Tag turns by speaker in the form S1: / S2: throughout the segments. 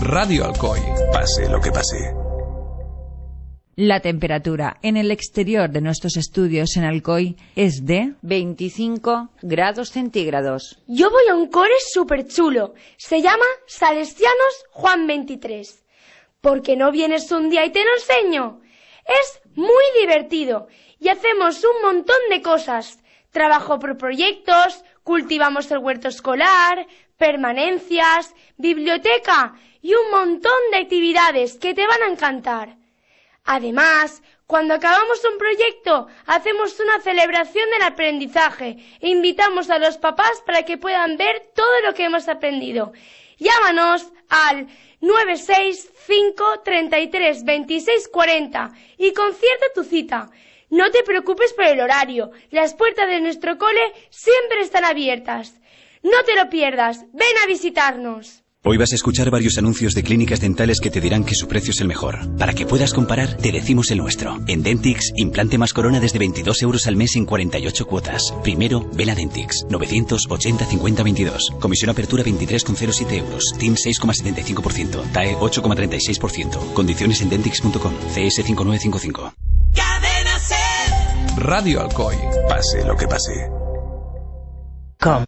S1: Radio Alcoy. Pase lo que pase.
S2: La temperatura en el exterior de nuestros estudios en Alcoy es de 25 grados centígrados.
S3: Yo voy a un cole súper chulo. Se llama Salesianos Juan 23. ¿Por qué no vienes un día y te lo enseño? Es muy divertido y hacemos un montón de cosas. Trabajo por proyectos, cultivamos el huerto escolar, permanencias, biblioteca y un montón de actividades que te van a encantar. Además, cuando acabamos un proyecto, hacemos una celebración del aprendizaje e invitamos a los papás para que puedan ver todo lo que hemos aprendido. Llámanos al 965 33 26 40 y concierta tu cita. No te preocupes por el horario, las puertas de nuestro cole siempre están abiertas. No te lo pierdas, ven a visitarnos.
S4: Hoy vas a escuchar varios anuncios de clínicas dentales que te dirán que su precio es el mejor. Para que puedas comparar, te decimos el nuestro. En Dentix, implante más corona desde 22 euros al mes en 48 cuotas. Primero, ven a Dentix. 980 50 22. Comisión apertura 23,07 euros. TIN 6,75%. TAE 8,36%. Condiciones en dentix.com. CS 5955.
S1: Cadena Ser. Radio Alcoy. Pase lo que pase.
S5: Com.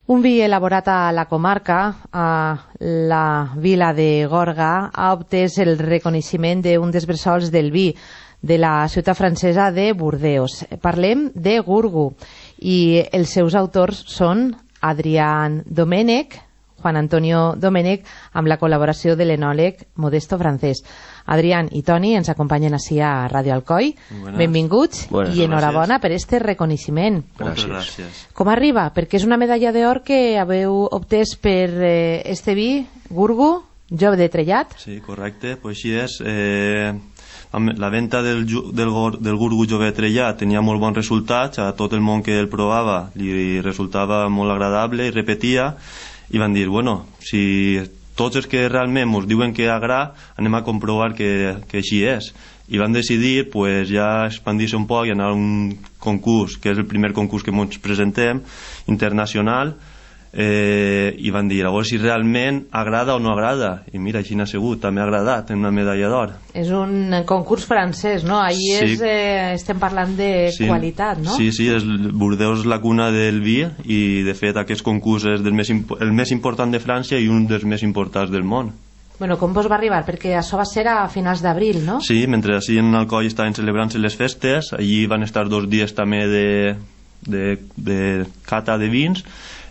S5: Un vi elaborat a la comarca, a la vila de Gorga, ha obtès el reconeixement d'un dels bressols del vi de la ciutat francesa de Burdeos. Parlem de Gurgu i els seus autors són Adrián Domènech, Juan Antonio Domènech, amb la col·laboració de l'enòleg Modesto Francés. Adrián i Toni ens acompanyen així a Radio Alcoy. Benvinguts i enhorabona per este reconeixement.
S6: Gràcies.
S5: Com arriba? Perquè és una medalla d'or que haveu obtès per este vi, Gurgu, jove de Trellat.
S6: Sí, correcte, pues així és. La venda del Gurgu jove de Trellat tenia molt bons resultats, a tot el món que el provava li resultava molt agradable i repetia, i van dir, bueno, si tots els que realment ens diuen que agrada, anem a comprovar que així és. I van decidir pues, ja expandir-se un poc i anar a un concurs, que és el primer concurs que ens presentem, internacional, i van dir, a veure si realment agrada o no agrada. I mira, així n'ha sigut, també ha agradat, en una medalla d'or.
S5: És un concurs francès, no? Ahí sí. Estem parlant de qualitat, no?
S6: Sí, Burdeos és la cuna del vi i de fet aquest concurs és el més important de França i un dels més importants del món.
S5: Bueno, com vos va arribar? Perquè això va ser a finals d'abril, no?
S6: Sí, mentre així en Alcoi estaven celebrant-se les festes, allí van estar 2 dies també de cata de vins.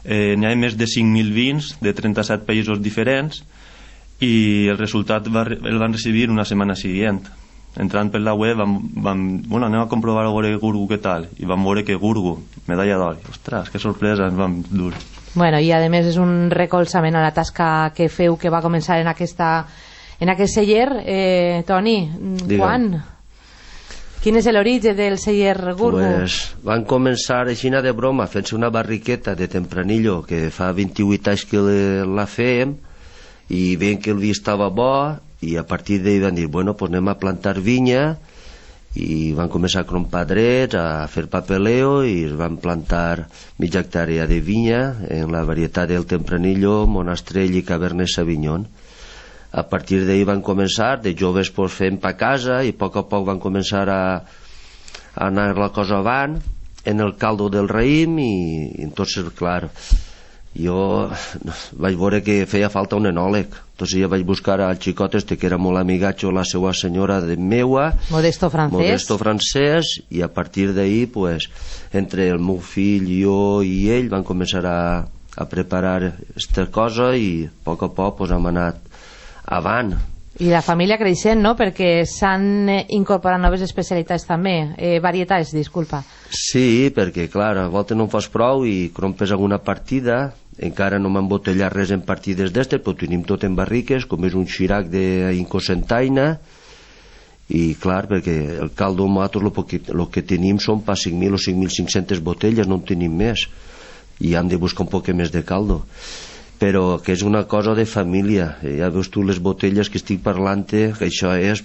S6: N'hi ha més de 5.000 vins de 37 països diferents i el resultat el van recibir una setmana seguent. Entrant per la web anem a comprovar a veure Gurgu què tal, i vam veure que Gurgu, medalla d'or. Ostres, que sorpresa, ens vam dur.
S5: Bueno, i a més és un recolzament a la tasca que feu, que va començar en aquest celler. Toni, quan? Quin és l'origen del celler Gurgu?
S7: Pues van començar així de broma, fent-se una barriqueta de Tempranillo, que fa 28 anys que la fèiem, i veient que el vi estava bo, i a partir d'ahir van dir, bueno, pues anem a plantar vinya, i van començar a crompar drets, a fer papeleo, i es van plantar mitja hectàrea de vinya en la varietat del Tempranillo, Monastrell i Cabernet Sauvignon. A partir d'ahir van començar, de joves pues, fent pa casa, i a poc van començar a anar la cosa avant en el caldo del raïm, i entonces, clar, jo vaig veure que feia falta un enòleg. Entonces ja vaig buscar al xicot este que era molt amigatxo, la seva senyora de meua,
S5: Modesto
S7: Francés, i a partir d'ahir pues, entre el meu fill, jo i ell van començar a preparar aquesta cosa, i a poc pues, hem anat avant.
S5: I la família creixent, no? Perquè s'han incorporat noves especialitats també, varietats, disculpa.
S7: Sí, perquè clar, a voltes no en fas prou i crompes alguna partida, encara no m'han botellat res en partides d'estes, però tenim tot en barriques, com és un xirac d'Incosentaina, i clar, perquè el caldo nosaltres el que tenim són per 5.000 o 5.500 botelles, no en tenim més, i hem de buscar un poc més de caldo. Però que és una cosa de família. Ja veus tu les botelles que estic parlant, que això és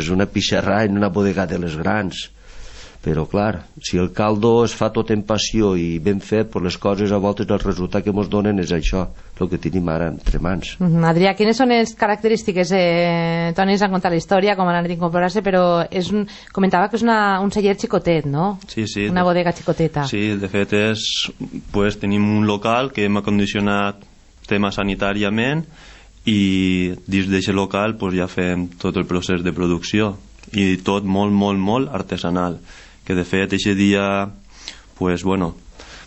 S7: una pixarrà en una bodega de les grans, però clar, si el caldo es fa tot en passió i ben fet, pues les coses a voltes el resultat que ens donen és això, el que tenim ara entre mans.
S5: Adrià, quines són les característiques? Toni ens ha contat la història, com han anat a incorporar-se, però comentava que és un celler xicotet, no?
S6: Sí.
S5: Una bodega xicoteta.
S6: Sí, de fet tenim un local que hem acondicionat tema sanitàriament i dins d'aquest local ja fem tot el procés de producció i tot molt artesanal, que de fet aquest dia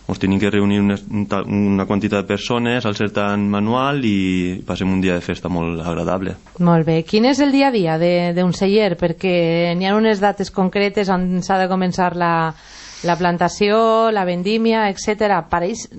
S6: ens tenim que reunir una quantitat de persones al ser tan manual i passem un dia de festa molt agradable.
S5: Molt bé. Quin és el dia a dia d'un celler? Perquè n'hi ha unes dates concretes on s'ha de començar la plantació, la vendímia, etc. Pareix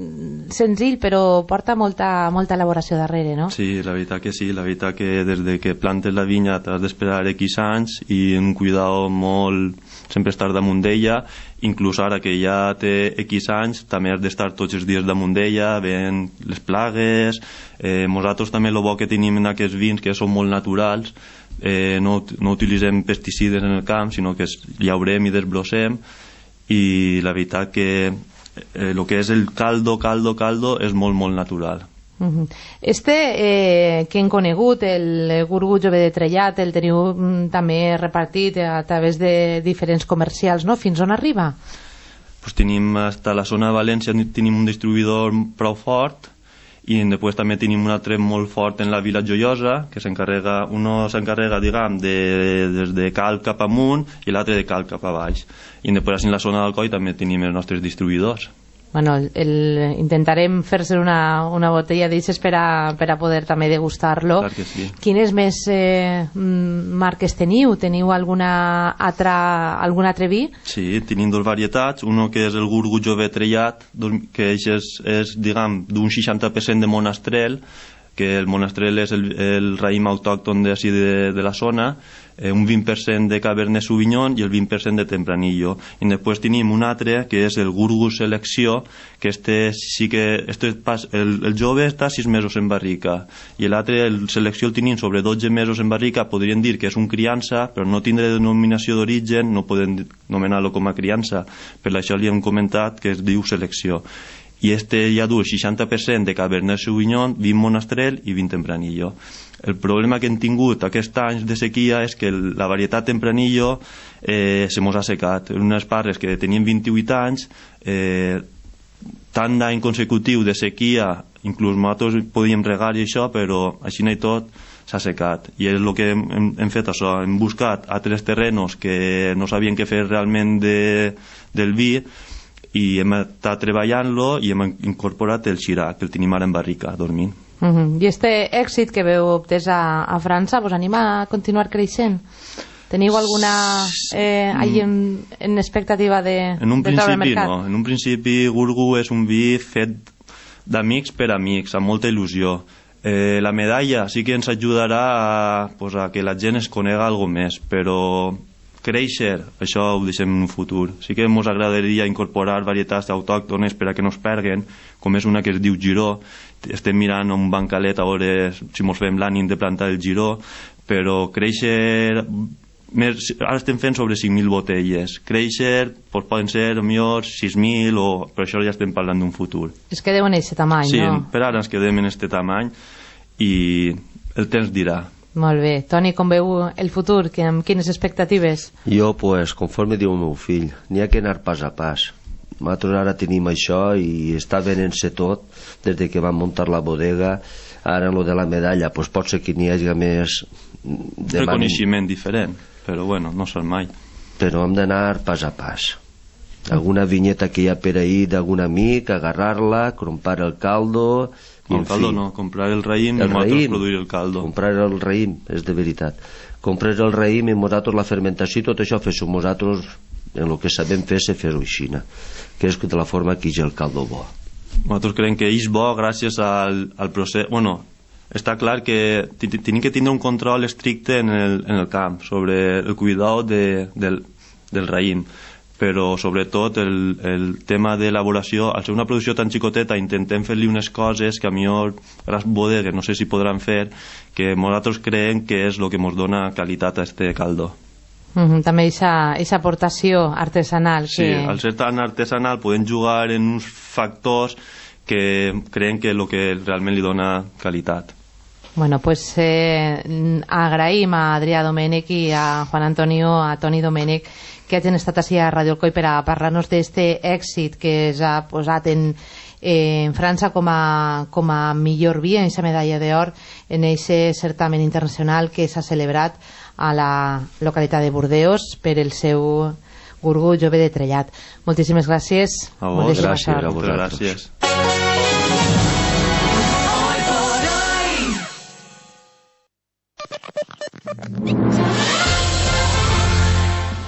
S5: senzill, però porta molta elaboració darrere, no?
S6: Sí, la veritat que sí. La veritat que des que plantes la vinya t'has d'esperar X anys i un cuidado molt... sempre estar damunt d'ella, inclús ara que ja té X anys també has d'estar tots els dies damunt d'ella, veient les plagues. Nosaltres també el bo que tenim en aquests vins que són molt naturals, no utilitzem pesticides en el camp, sinó que llaurem i desbrossem, i la veritat que el que és el caldo és molt natural.
S5: Que hem conegut, el Gurgu Jove de Trellat, el teniu també repartit a través de diferents comercials, no? Fins on arriba?
S6: Tenim hasta la zona de València, tenim un distribuïdor prou fort, i després també tenim un altre molt fort en la Vila Joiosa, que s'encarrega diguem, des de Cal cap amunt i l'altre de Cal cap a baix, i després en la zona d'Alcoi també tenim els nostres distribuïdors.
S5: Bueno, intentarem fer-se una botella d'aixes per a poder també degustar-lo.
S6: Clar que sí.
S5: Quines més marques teniu? Teniu algun altre vi?
S6: Sí, tenim dos varietats. Uno que és el Gurgu Jove Trellat, que és diguem, d'un 60% de monastrell, que el monastrell és el raïm autòcton de la zona, un 20% de Cabernet Sauvignon i el 20% de Tempranillo. I després tenim un altre que és el Gurgu Selecció, que el jove està 6 mesos en barrica i l'altre, el Selecció, el tenim sobre 12 mesos en barrica. Podríem dir que és un criança, però no tindrà denominació d'origen, no podem anomenar-lo com a criança, per això li hem comentat que es diu Selecció. I ja du el 60% de Cabernet Sauvignon, 20 Monastrell i 20 Tempranillo. El problema que hem tingut aquests anys de sequia és que la varietat Tempranillo se mos ha secat. En unes parres que tenien 28 anys, tant d'any consecutiu de sequia, inclús nosaltres podíem regar i això, però així i tot s'ha secat. I és el que hem fet això, hem buscat altres terrenos que no sabien què fer realment del vi, i hem estat treballant-lo i hem incorporat el Shiraz, que el tenim ara en barrica, dormint.
S5: I este èxit que veu obtès a França vos anima a continuar creixent? Teniu alguna en expectativa de treure al mercat?
S6: No, en un principi Gurgu és un vi fet d'amics per amics, amb molta il·lusió. La medalla sí que ens ajudarà a que la gent es conega alguna més, però créixer, això ho deixem en un futur. Sí que ens agradaria incorporar varietats autòctones per a que no es perguen, com és una que es diu Giró. Estem mirant un bancalet a veure si ens fem l'ànim de plantar el Giró, però créixer... Ara estem fent sobre 5.000 botelles. Créixer poden ser millor 6.000, però això ja estem parlant d'un futur.
S5: Es quedeu en aquest tamany,
S6: sí,
S5: no?
S6: Sí, per ara ens quedem en aquest tamany i el temps dirà.
S5: Molt bé. Toni, com veu el futur? Amb quines expectatives?
S7: Jo, conforme diu el meu fill, n'hi ha que anar pas a pas. Nosaltres ara tenim això i està venent-se tot des que vam muntar la bodega. Ara en lo de la medalla pot ser que n'hi hagi més
S6: reconeixement diferent, però bueno, no sap mai.
S7: Però hem d'anar pas a pas. Alguna vinyeta que hi ha per ahir d'algun amic, agarrar-la, comprar el caldo...
S6: El caldo no, comprar el raïm i nosaltres produir el caldo.
S7: Comprar el raïm, és de veritat. Comprar el raïm i nosaltres la fermentació i tot això fes-ho nosaltres en el que sabem fer-se fer-ho així, que és de la forma que és el caldo bo.
S6: Nosaltres creiem que és bo gràcies al procés... Bueno, està clar que tenim que tindre un control estricte en el camp sobre el cuidado del raïm, però sobretot el tema d'elaboració, al ser una producció tan xicoteta intentem fer-li unes coses que a millor les bodegues no sé si podran fer, que nosaltres creiem que és el que ens dona qualitat a este caldo.
S5: També aquesta aportació artesanal.
S6: Sí, al ser tan artesanal poden jugar en uns factors que creen que és el que realment li dona qualitat.
S5: Bueno, pues agraïm a Adrià Domènech i a Juan Antonio, a Toni Domènech, que hagin estat així a Radio Alcoi per a parlar-nos d'aquest èxit que s'ha posat en França com a millor vi, en aquesta medalla d'or, en aquest certamen internacional que s'ha celebrat a la localitat de Burdeos per el seu Gurgu Jove de Trellat. Moltíssimes gràcies.
S6: A vos, gràcies. A vos, gràcies.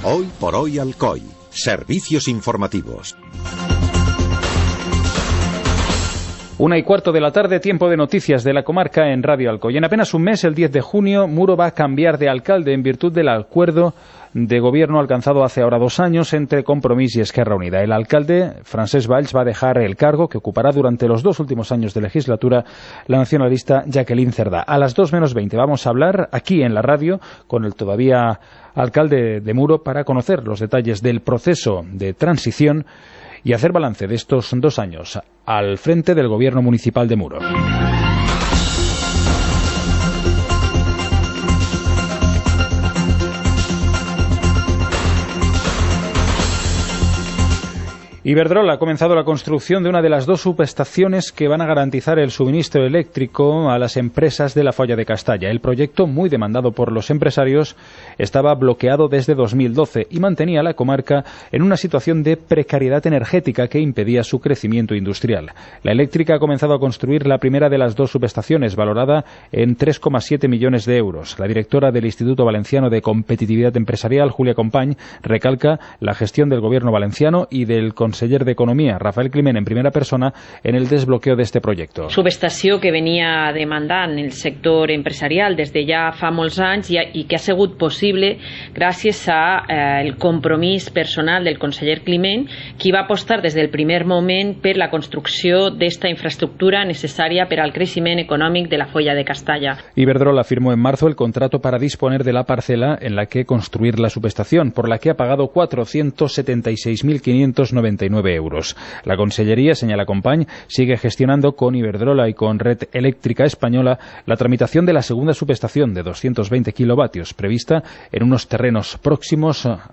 S8: Hoy por hoy Alcoy. Servicios informativos.
S9: 1:15 de la tarde, tiempo de noticias de la comarca en Radio Alcoy. En apenas un mes, el 10 de junio, Muro va a cambiar de alcalde en virtud del acuerdo de gobierno alcanzado hace ahora 2 años entre Compromís y Esquerra Unida. El alcalde, Francesc Valls, va a dejar el cargo que ocupará durante los 2 últimos años de legislatura la nacionalista Jacqueline Cerdá. A las 2:20 vamos a hablar aquí en la radio con el todavía alcalde de Muro para conocer los detalles del proceso de transición y hacer balance de estos 2 años al frente del gobierno municipal de Muro. Iberdrola ha comenzado la construcción de una de las 2 subestaciones que van a garantizar el suministro eléctrico a las empresas de la Folla de Castalla. El proyecto, muy demandado por los empresarios, estaba bloqueado desde 2012 y mantenía a la comarca en una situación de precariedad energética que impedía su crecimiento industrial. La eléctrica ha comenzado a construir la primera de las 2 subestaciones, valorada en 3,7 millones de euros. La directora del Instituto Valenciano de Competitividad Empresarial, Julia Company, recalca la gestión del gobierno valenciano y del conseller de Economía, Rafael Climent, en primera persona, en el desbloqueo de este projecte.
S10: Subestació que venia demandant el sector empresarial des de ja fa molts anys i que ha sigut possible gràcies al compromís personal del conseller Climent, qui va apostar des del primer moment per la construcció d'esta infraestructura necessària per al creixement econòmic de la Folla de Castalla.
S9: Iberdrola firmó en marzo el contrato para disponer de la parcela en la que construir la subestación, por la que ha pagado 476.599 euros. La Consellería, señala Company, sigue gestionando con Iberdrola y con Red Eléctrica Española la tramitación de la segunda subestación de 220 kilovatios, prevista en unos terrenos próximos a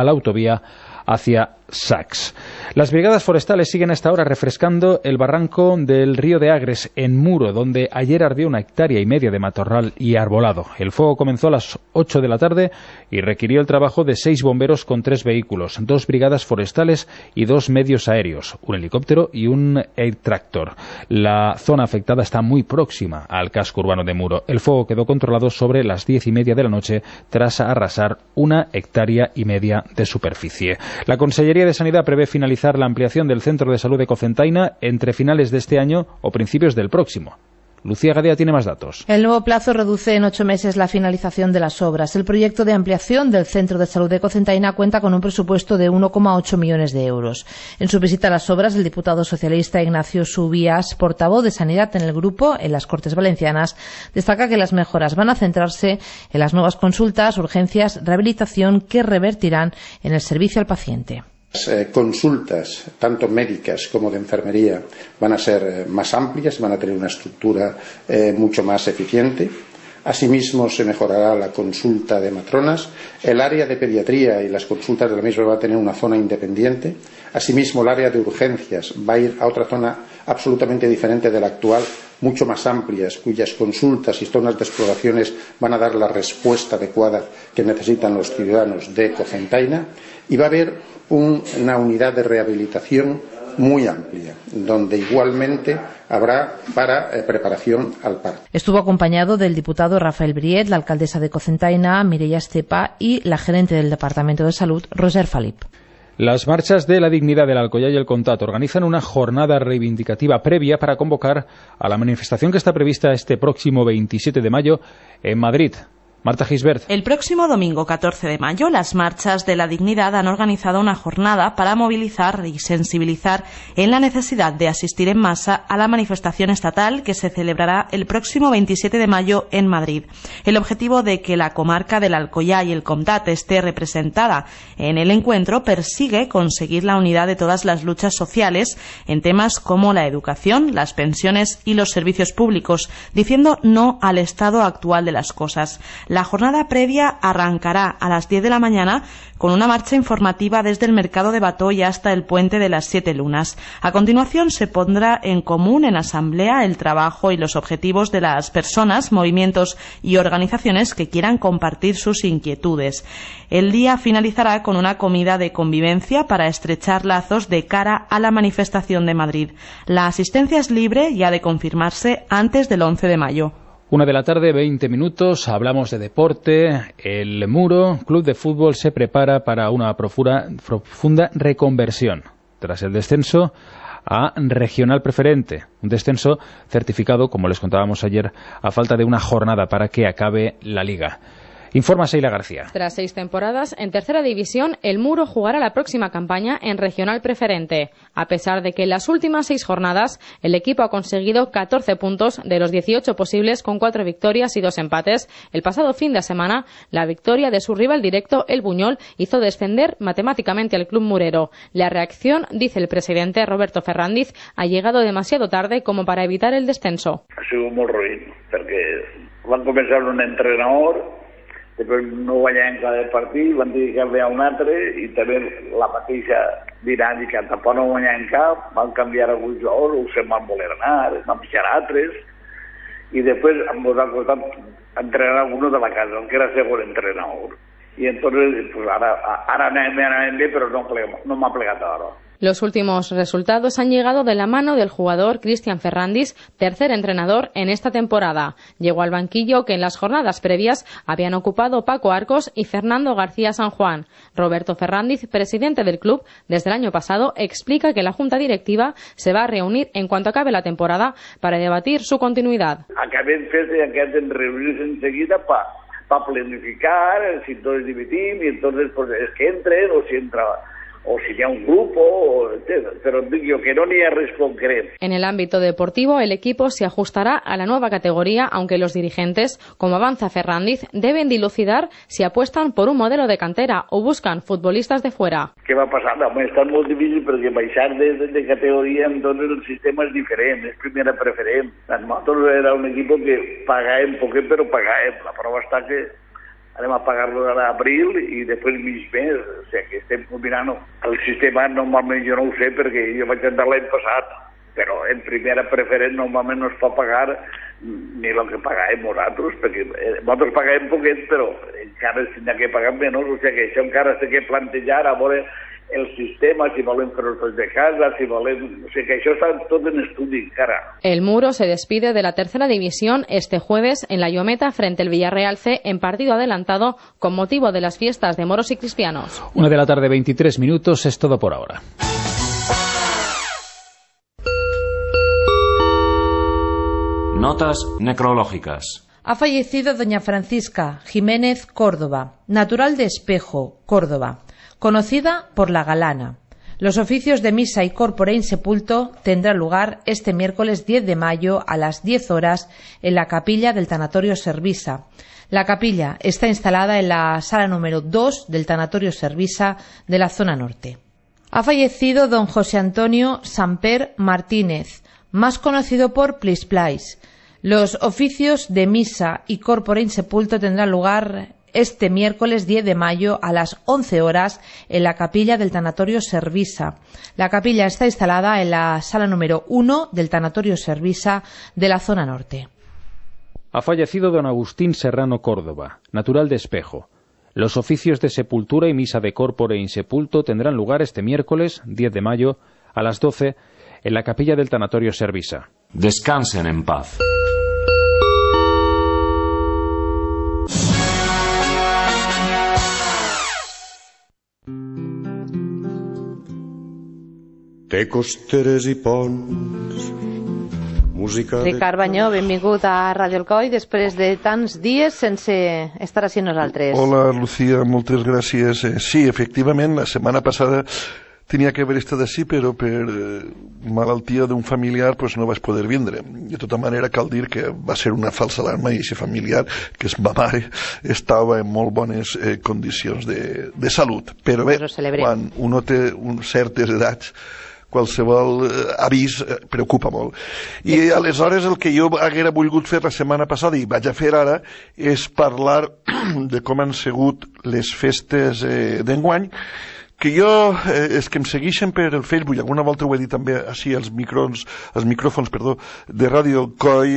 S9: la autovía hacia Sax. Las brigadas forestales siguen hasta ahora refrescando el barranco del río de Agres, en Muro, donde ayer ardió 1,5 hectáreas de matorral y arbolado. El fuego comenzó a las 8 de la tarde y requirió el trabajo de 6 bomberos con 3 vehículos, 2 brigadas forestales y 2 medios aéreos, un helicóptero y un air tractor. La zona afectada está muy próxima al casco urbano de Muro. El fuego quedó controlado sobre las 10:30 de la noche tras arrasar 1,5 hectáreas de superficie. La Consellería de Sanidad prevé finalizar la ampliación del Centro de Salud de Cocentaina entre finales de este año o principios del próximo. Lucía Gadea tiene más datos.
S11: El nuevo plazo reduce en 8 meses la finalización de las obras. El proyecto de ampliación del Centro de Salud de Cocentaina cuenta con un presupuesto de 1,8 millones de euros. En su visita a las obras, el diputado socialista Ignacio Subías, portavoz de Sanidad en el grupo en las Cortes Valencianas, destaca que las mejoras van a centrarse en las nuevas consultas, urgencias, rehabilitación que revertirán en el servicio al paciente.
S12: Las consultas, tanto médicas como de enfermería, van a ser más amplias, van a tener una estructura mucho más eficiente. Asimismo, se mejorará la consulta de matronas. El área de pediatría y las consultas de la misma va a tener una zona independiente. Asimismo, el área de urgencias va a ir a otra zona absolutamente diferente de la actual, mucho más amplias, cuyas consultas y zonas de exploraciones van a dar la respuesta adecuada que necesitan los ciudadanos de Cocentaina. Y va a haber una unidad de rehabilitación muy amplia, donde igualmente habrá para preparación al parto.
S11: Estuvo acompañado del diputado Rafael Briet, la alcaldesa de Cocentaina, Mireia Estepa, y la gerente del Departamento de Salud, Roser Falip.
S9: Las marchas de la dignidad del Alcoyà y el Contat organizan una jornada reivindicativa previa para convocar a la manifestación que está prevista este próximo 27 de mayo en Madrid. Marta Gisbert.
S13: El próximo domingo 14 de mayo, las Marchas de la Dignidad han organizado una jornada para movilizar y sensibilizar en la necesidad de asistir en masa a la manifestación estatal que se celebrará el próximo 27 de mayo en Madrid. El objetivo de que la comarca del Alcoyà y el Comtat esté representada en el encuentro persigue conseguir la unidad de todas las luchas sociales en temas como la educación, las pensiones y los servicios públicos, diciendo no al estado actual de las cosas. La jornada previa arrancará a las 10 de la mañana con una marcha informativa desde el mercado de Batoy hasta el puente de las 7 Lunas. A continuación se pondrá en común en asamblea el trabajo y los objetivos de las personas, movimientos y organizaciones que quieran compartir sus inquietudes. El día finalizará con una comida de convivencia para estrechar lazos de cara a la manifestación de Madrid. La asistencia es libre y ha de confirmarse antes del 11 de mayo.
S9: 1 de la tarde, 20 minutos, hablamos de deporte. El Muro, club de fútbol, se prepara para una profunda reconversión tras el descenso a regional preferente, un descenso certificado, como les contábamos ayer, a falta de una jornada para que acabe la Liga. Informa Seila García.
S14: Tras 6 temporadas en tercera división, el Muro jugará la próxima campaña en regional preferente. A pesar de que en las últimas 6 jornadas el equipo ha conseguido 14 puntos de los 18 posibles con 4 victorias y 2 empates, el pasado fin de semana la victoria de su rival directo, el Buñol, hizo descender matemáticamente al club murero. La reacción, dice el presidente Roberto Ferrandiz, ha llegado demasiado tarde como para evitar el descenso.
S15: Ha sido molt ruïn, perquè van començar un entrenador, després no guanyaven cada partit, van dir que ve a un altre i també la mateixa dinàmica, tampoc no guanyaven cap, van canviar alguns jugadors, o se'n van voler anar, van fitxar altres, i després ens han costat entrenar alguno de la casa, que era segon entrenador. I entonces, pues ara anem bé, però no m'ha plegat ara.
S14: Los últimos resultados han llegado de la mano del jugador Cristian Ferrandis, tercer entrenador en esta temporada. Llegó al banquillo que en las jornadas previas habían ocupado Paco Arcos y Fernando García San Juan. Roberto Ferrandis, presidente del club, desde el año pasado, explica que la junta directiva se va a reunir en cuanto acabe la temporada para debatir su continuidad.
S15: Acabem fent de reunirse enseguida para planificar si todos dimitim y entonces pues es que entren o si entra o si hi ha un grupo, pero digo que no n'hi ha res concret.
S14: En el ámbito deportivo, el equipo se ajustará a la nueva categoría, aunque los dirigentes, como avanza Ferrandiz, deben dilucidar si apuestan por un modelo de cantera o buscan futbolistas de fuera.
S15: Què va passar? Està molt difícil perquè baixar de categoria, entonces el sistema és diferent, és primera preferent. Nosaltres era un equip que pagàvem poquet, però pagàvem. La prova està que anem a pagar-lo a l'abril i després mig mes, o sigui que estem combinant. El sistema normalment jo no ho sé perquè jo vaig entrar l'any passat, però en primera preferent normalment no es pot pagar ni el que pagàvem nosaltres, perquè nosaltres pagàvem poquet, però encara es tindrà que pagar menys, o sigui que això encara s'ha de plantejar a veure el sistema, si volen fer-los de casa, si volen... O sigui que això està tot en estudi encara.
S14: El Muro se despide de la tercera división este jueves en la Llometa frente al Villarreal C en partido adelantado con motivo de las fiestas de moros y cristianos.
S9: 1 de la tarde, 23 minutos, es todo por ahora.
S1: Notas necrológicas.
S11: Ha fallecido doña Francisca Jiménez Córdoba, natural de Espejo, Córdoba, conocida por La Galana. Los oficios de misa y corpore insepulto tendrán lugar este miércoles 10 de mayo a las 10 horas en la capilla del Tanatorio Servisa. La capilla está instalada en la sala número 2 del Tanatorio Servisa de la zona norte. Ha fallecido don José Antonio Samper Martínez, más conocido por Plisplais. Los oficios de misa y corpore insepulto tendrán lugar este miércoles 10 de mayo a las 11 horas en la capilla del Tanatorio Servisa. La capilla está instalada en la sala número 1 del Tanatorio Servisa de la zona norte.
S9: Ha fallecido don Agustín Serrano Córdoba, natural de Espejo. Los oficios de sepultura y misa de corpore insepulto tendrán lugar este miércoles 10 de mayo a las 12 en la capilla del Tanatorio Servisa.
S1: Descansen en paz.
S16: Té costeres i ponts música...
S5: Ricard Banyó, benvingut a Ràdio Alcoi després de tants dies sense estar així nosaltres.
S17: Hola, Lucía, moltes gràcies. Sí, efectivament, la setmana passada tenia que haver estat així, però per malaltia d'un familiar pues, no vaig poder vindre. De tota manera, cal dir que va ser una falsa alarma i aquest familiar, que és ma mare, estava en molt bones condicions de salut. Però bé, quan uno té certes edats, qualsevol avís preocupa molt. I aleshores el que jo haguera volgut fer la setmana passada i vaig a fer ara és parlar de com han sigut les festes d'enguany, que jo, és que em segueixen per el Facebook, alguna volta ho he dit també així als micròfons de Ràdio Alcoi,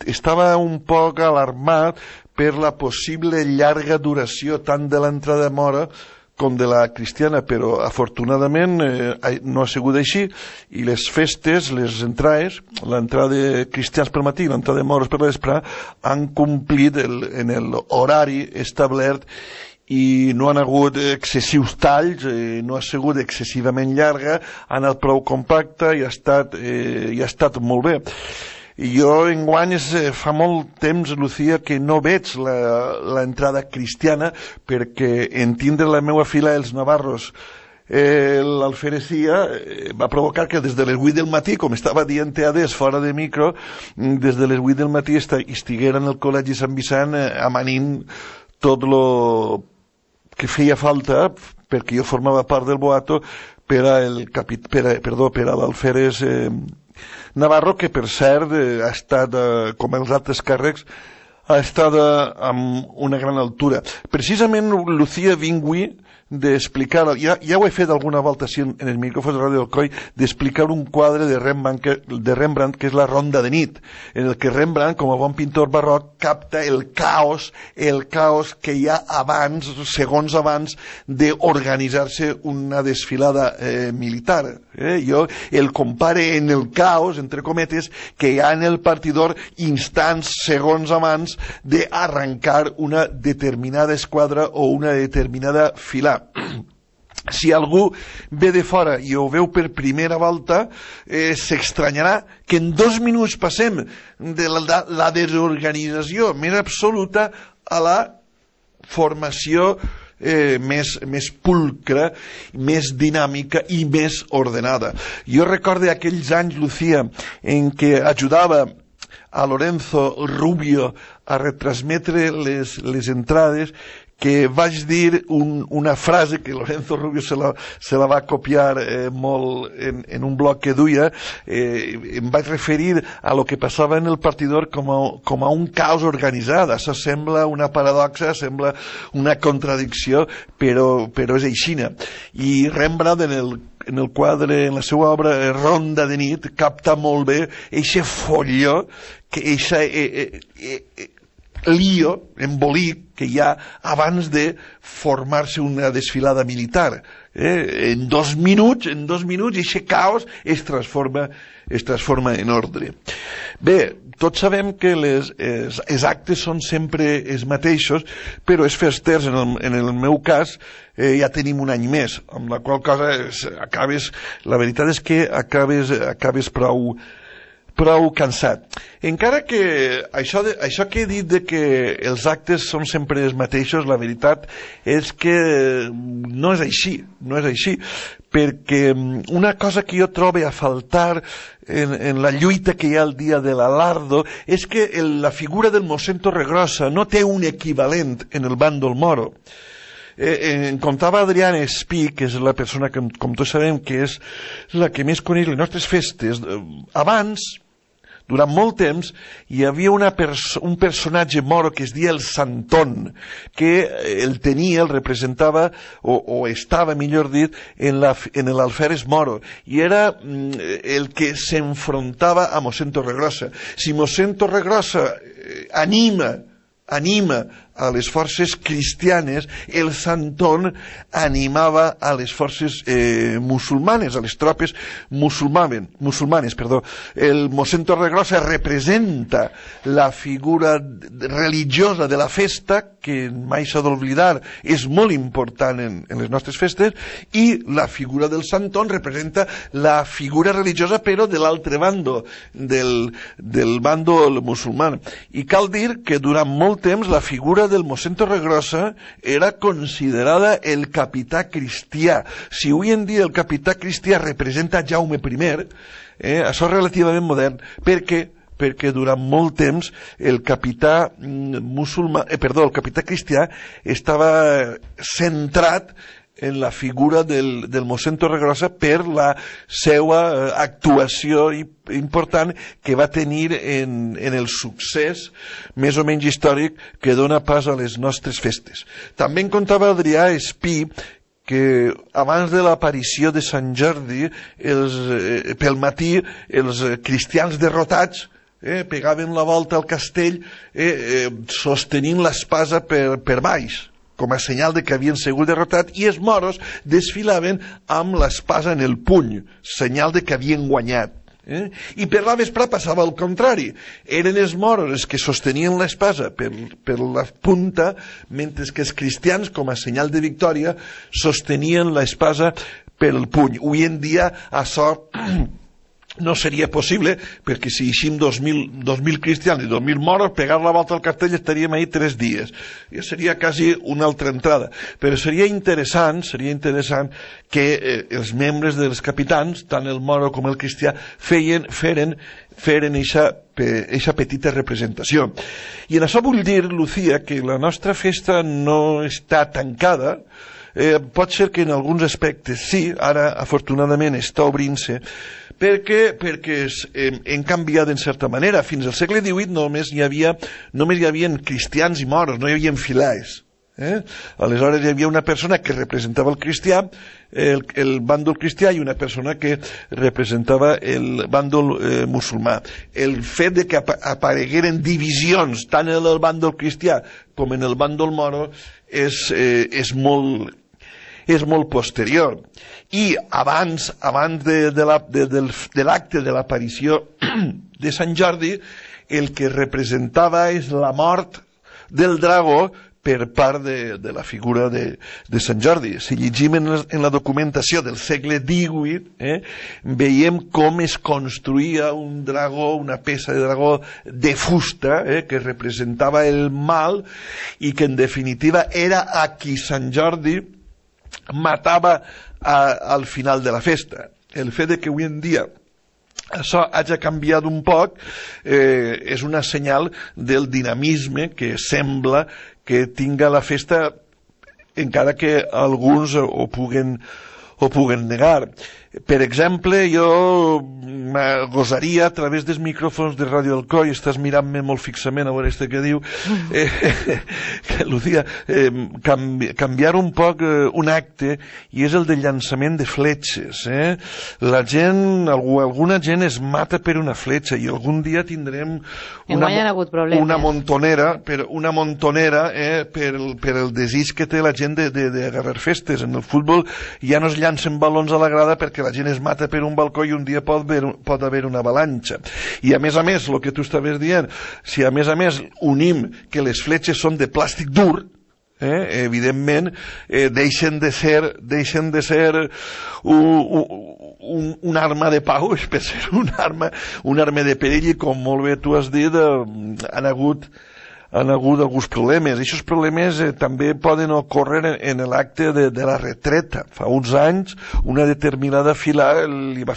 S17: estava un poc alarmat per la possible llarga duració tant de l'entrada de Mora com de la cristiana, però afortunadament no ha sigut així i les festes, les entrades, l'entrada de cristians pel matí i l'entrada de moros per vespre han complit en l'horari establert i no han hagut excessius talls, no ha sigut excessivament llarga, ha anat prou compacta i ha estat molt bé. Jo enguany fa molt temps, Lucía, que no veig l'entrada cristiana perquè en tindre la meva fila els navarros l'alferesia va provocar que des de les 8 del matí, com estava dient Teades fora de micro, des de les 8 del matí estigueren al Col·legi Sant Vicent amanint tot lo que feia falta, perquè jo formava part del boato, per a l'alferes Navarro, que per cert ha estat, com els altres càrrecs, ha estat amb una gran altura. Precisament, Lucía, vingui d'explicar, ja ho he fet alguna volta així en el micròfon de Ràdio Alcoi, d'explicar un quadre de Rembrandt, que és la Ronda de nit, en el que Rembrandt, com a bon pintor barroc, capta el caos que hi ha abans, segons abans d'organitzar-se una desfilada militar. Jo el compare en el caos, entre cometes, que hi ha en el partidor instants, segons abans, d'arrencar una determinada esquadra o una determinada fila. Si algú ve de fora i ho veu per primera volta, s'estranyarà que en 2 minuts passem de la desorganització més absoluta a la formació més pulcra, més dinàmica i més ordenada. Jo recordo aquells anys, Lucía, en què ajudava a Lorenzo Rubio a retransmetre les entrades, que vaig dir una frase que Lorenzo Rubio se la va copiar molt en un blog que duia. Em vaig referir a lo que passava en el partidor com a un caos organitzat. Això sembla una paradoxa, sembla una contradicció, però és aixina. I Rembrandt en el quadre, en la seva obra Ronda de nit, capta molt bé eixe folló, eixa lío, embolic que hi ha abans de formar-se una desfilada militar. En 2 minuts, eixe caos es transforma en ordre. Bé, tots sabem que els actes són sempre els mateixos, però els festers, en el meu cas, ja tenim un any més, amb la qual cosa la veritat és que acabes prou cansat. Encara que això que he dit de que els actes són sempre els mateixos, la veritat és que no és així, perquè una cosa que jo trobo a faltar en la lluita que hi ha el dia de l'Alardo és que la figura del mossèn Torregrossa no té un equivalent en el bàndol moro. Em contava Adrián Espí, que és la persona que, com tots sabem, que és la que més coneix les nostres festes. Abans, durant molt temps, hi havia un personatge moro que es deia el Santón, que el representava, o estava, millor dit, en l'alferes moro, i era el que s'enfrontava a mossèn Torregrossa. Si mossèn Torregrossa anima a les forces cristianes, el Santón animava a les forces musulmanes, a les tropes musulmanes. El mossèn Torregrossa representa la figura religiosa de la festa, que mai s'ha d'oblidar, és molt important en les nostres festes, i la figura del Santón representa la figura religiosa, però de l'altre bando, del bàndol musulmà. I cal dir que durant molt temps la figura del mossèn Torregrossa era considerada el capità cristià. Si avui en dia el capità cristià representa Jaume I, això és relativament modern, perquè durant molt temps el capità cristià estava centrat en la figura del mossèn Torregrossa per la seva actuació important que va tenir en el succés més o menys històric que dona pas a les nostres festes. També en contava Adrià Espí que abans de l'aparició de Sant Jordi, pel matí, els cristians derrotats pegaven la volta al castell sostenint l'espasa per baix, com a senyal de que havien sigut derrotats, i els moros desfilaven amb l'espasa en el puny, senyal de que havien guanyat. I per la vesprà passava al contrari. Eren els moros els que sostenien l'espasa per la punta, mentre que els cristians, com a senyal de victòria, sostenien l'espasa per el puny. Avui en dia això no seria possible, perquè si eixim 2.000 cristians i 2.000 moros, pegar la volta al castell estaríem ahí 3 dies. Ja seria quasi una altra entrada. Però seria interessant que els membres dels capitans, tant el moro com el cristià, feren eixa petita representació. I en això vull dir, Lucía, que la nostra festa no està tancada. Pot ser que en alguns aspectes sí, ara afortunadament està obrint-se, perquè hem canviat en certa manera. Fins al segle XVIII només hi havia cristians i moros, no hi havia filaes. Aleshores hi havia una persona que representava el cristià, el bàndol cristià, i una persona que representava el bàndol musulmà. El fet de que aparegueren divisions tant en el bàndol cristià com en el bàndol moro és molt posterior. I abans de l'acte de l'aparició de Sant Jordi, el que representava és la mort del dragó per part de la figura de Sant Jordi. Si llegim en la documentació del segle XVIII, veiem com es construïa un dragó, una peça de dragó de fusta, que representava el mal i que en definitiva era a qui Sant Jordi matava al final de la festa. El fet de que avui en dia això hagi canviat un poc és una senyal del dinamisme que sembla que tinga la festa, encara que alguns ho puguen negar. Per exemple, jo gosaria a través dels micròfons de Ràdio Alcoi, estàs mirant-me molt fixament a veure què diu, Lucía, canviar un poc un acte, i és el de llançament de fletxes. La gent, alguna gent es mata per una fletxa, i algun dia tindrem una montonera per el desig que té la gent d'agarrar festes. En el futbol ja no es llancen balons a la grada perquè la gent es mata per un balcó i un dia pot haver una avalanxa. I a més, el que tu estaves dient, si a més unim que les fletxes són de plàstic dur, evidentment deixen de ser un arma de pau, per ser un arma de perill, i com molt bé tu has dit, han hagut alguns problemes. Aquests problemes també poden ocórrer en l'acte de la retreta. Fa uns anys una determinada fila li va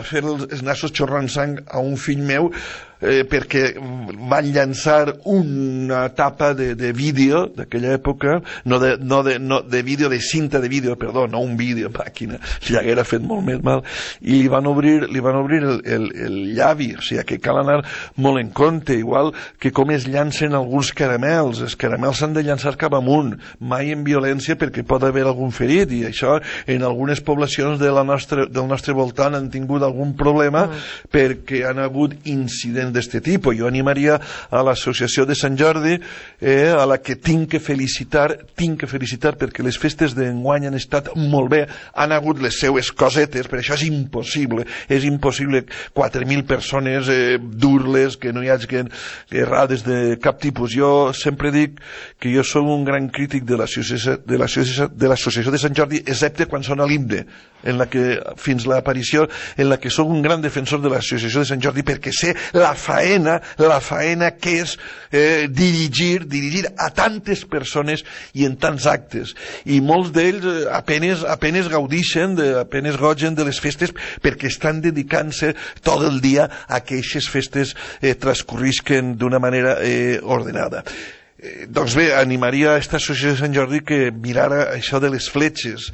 S17: fer els nassos xorrant sang a un fill meu perquè van llançar una tapa de vídeo d'aquella època, no de vídeo, de cinta de vídeo, perdó, no un vídeo màquina, li haguera fet molt més mal, i li van obrir el llavi. O sigui que cal anar molt en compte, igual que com es llancen alguns caramels. Els caramels s'han de llançar cap amunt, mai en violència, perquè pot haver algun ferit, i això en algunes poblacions del nostre voltant han tingut algun problema perquè han hagut incidents d'aquest tipus. Jo animaria a l'associació de Sant Jordi, a la que tinc que felicitar perquè les festes d'enguany han estat molt bé, han hagut les seues cosetes, per això és impossible 4.000 persones dur-les, que no hi hagi errades de cap tipus. Jo sempre dic que jo soc un gran crític de l'associació de Sant Jordi, excepte quan sona l'himne, en la que fins l'aparició, en la que sóc un gran defensor de l'associació de Sant Jordi, perquè sé la faena que és dirigir a tantes persones i en tants actes, i molts d'ells apenes gaudixen, apenes gogen de les festes, perquè estan dedicant-se tot el dia a que aquestes festes transcorrisquen d'una manera ordenada. Doncs bé, animaria a aquesta associació de Sant Jordi que mirara això de les fletxes,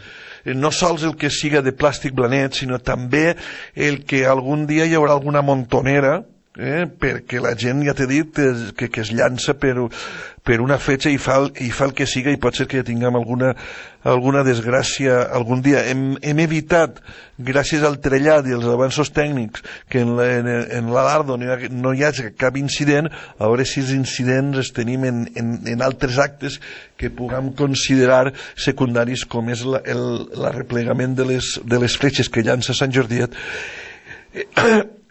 S17: no sols el que siga de plàstic blanet, sinó també el que algun dia hi haurà alguna montonera, perquè la gent, ja t'he dit, que es llança per una fletxa i fa el que siga, i pot ser que tinguem alguna desgràcia algun dia. Hem evitat, gràcies al trellat i als avanços tècnics, que en l'Alardo no hi hagi cap incident. A veure si els incidents els tenim en altres actes que puguem considerar secundaris, com és l'arreplegament de les fletxes que llança Sant Jordiet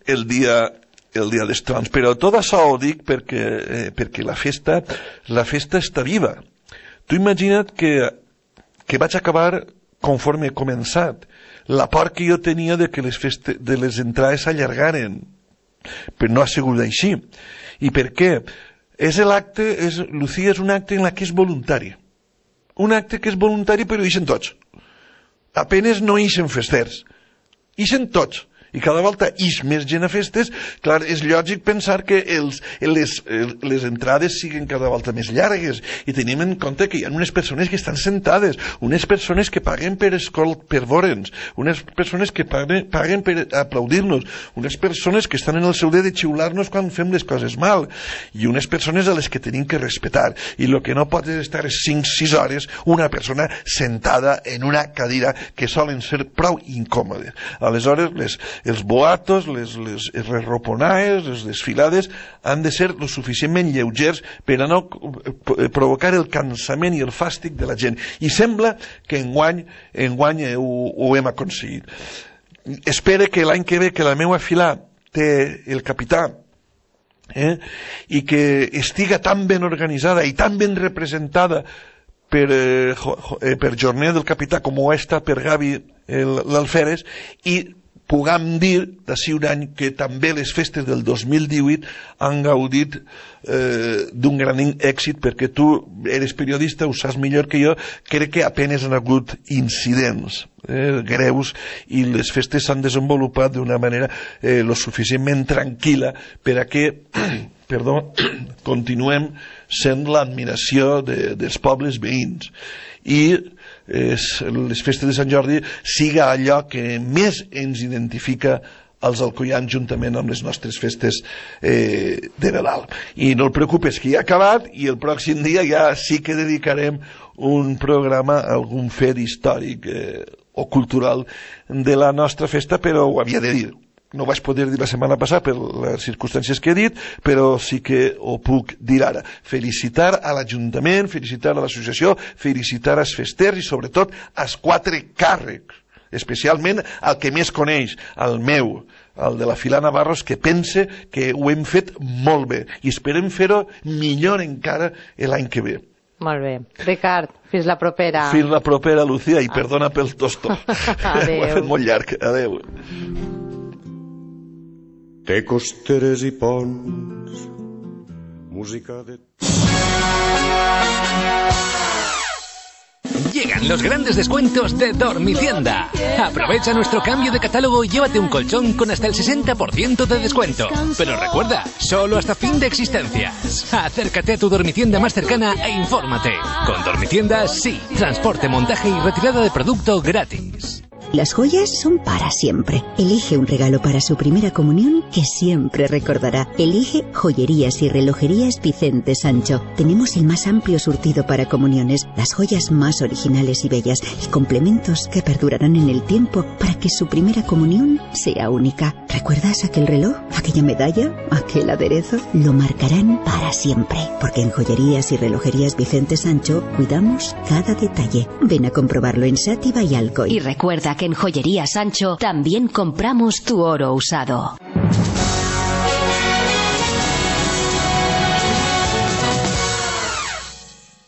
S17: el dia dels Trons. Però tot això ho dic perquè la festa està viva. Tu imagina't que vaig acabar conforme he començat. La por que jo tenia de que les entrades s'allargaren, però no ha sigut així. I per què? Lucía, és un acte en què és voluntari. Un acte que és voluntari, però ixen tots. Apenes no ixen festers. Ixen tots. I cada volta ix més gent a festes. Clar, és lògic pensar que les entrades siguin cada volta més llargues, i tenim en compte que hi ha unes persones que estan sentades, unes persones que paguen per veure'ns, unes persones que paguen per aplaudir-nos, unes persones que estan en el seu dret de xiular-nos quan fem les coses mal, i unes persones a les que tenim que respetar. I el que no pot és estar 5-6 hores una persona sentada en una cadira que solen ser prou incòmodes. Aleshores, els boatos, les reroponaes, les desfilades han de ser lo suficientment lleugers per a no provocar el cansament i el fàstic de la gent. I sembla que enguany ho hem aconseguit. Espero que l'any que ve, que la meva fila té el capità, i que estiga tan ben organitzada i tan ben representada per Jornet del Capità com ho està per Gavi l'Alferes, i puguem dir d'ací un any que també les festes del 2018 han gaudit d'un gran èxit, perquè tu eres periodista, ho saps millor que jo. Crec que apenes han hagut incidents greus, i les festes s'han desenvolupat d'una manera lo suficientment tranquil·la per a que continuem sent l'admiració dels pobles veïns, i les festes de Sant Jordi siga allò que més ens identifica als alcoians, juntament amb les nostres festes de Nadal. I no et preocupes, que ja ha acabat, i el pròxim dia ja sí que dedicarem un programa a algun fet històric o cultural de la nostra festa, però ho havia de dir. No ho vaig poder dir la setmana passada per les circumstàncies que he dit, però sí que ho puc dir ara. Felicitar a l'Ajuntament, felicitar a l'associació, felicitar als festers i sobretot als 4 càrrecs, especialment al que més coneix, al meu, al de la Fila Navarros, que pense que ho hem fet molt bé i esperem fer-ho millor encara l'any que ve.
S5: Molt bé. Ricard, fins la propera.
S17: Fins la propera, Lucía, i perdona pel tostó.
S5: Adéu.
S17: Ho he fet molt llarg. Adéu.
S16: Té costeres i ponts, música de...
S1: Llegan los grandes descuentos de Dormitienda. Aprovecha nuestro cambio de catálogo y llévate un colchón con hasta el 60% de descuento. Pero recuerda, solo hasta fin de existencias. Acércate a tu Dormitienda más cercana e infórmate. Con Dormitienda, sí. Transporte, montaje y retirada de producto gratis.
S18: Las joyas son para siempre. Elige un regalo para su primera comunión que siempre recordará. Elige Joyerías y Relojerías Vicente Sancho. Tenemos el más amplio surtido para comuniones, las joyas más originales y bellas y complementos que perdurarán en el tiempo para que su primera comunión sea única. ¿Recuerdas aquel reloj? ¿Aquella medalla? ¿Aquel aderezo? Lo marcarán para siempre, porque en Joyerías y Relojerías Vicente Sancho cuidamos cada detalle. Ven a comprobarlo en Sátiva y Alcoy.
S19: Y recuerda que en Joyería Sancho también compramos tu oro usado.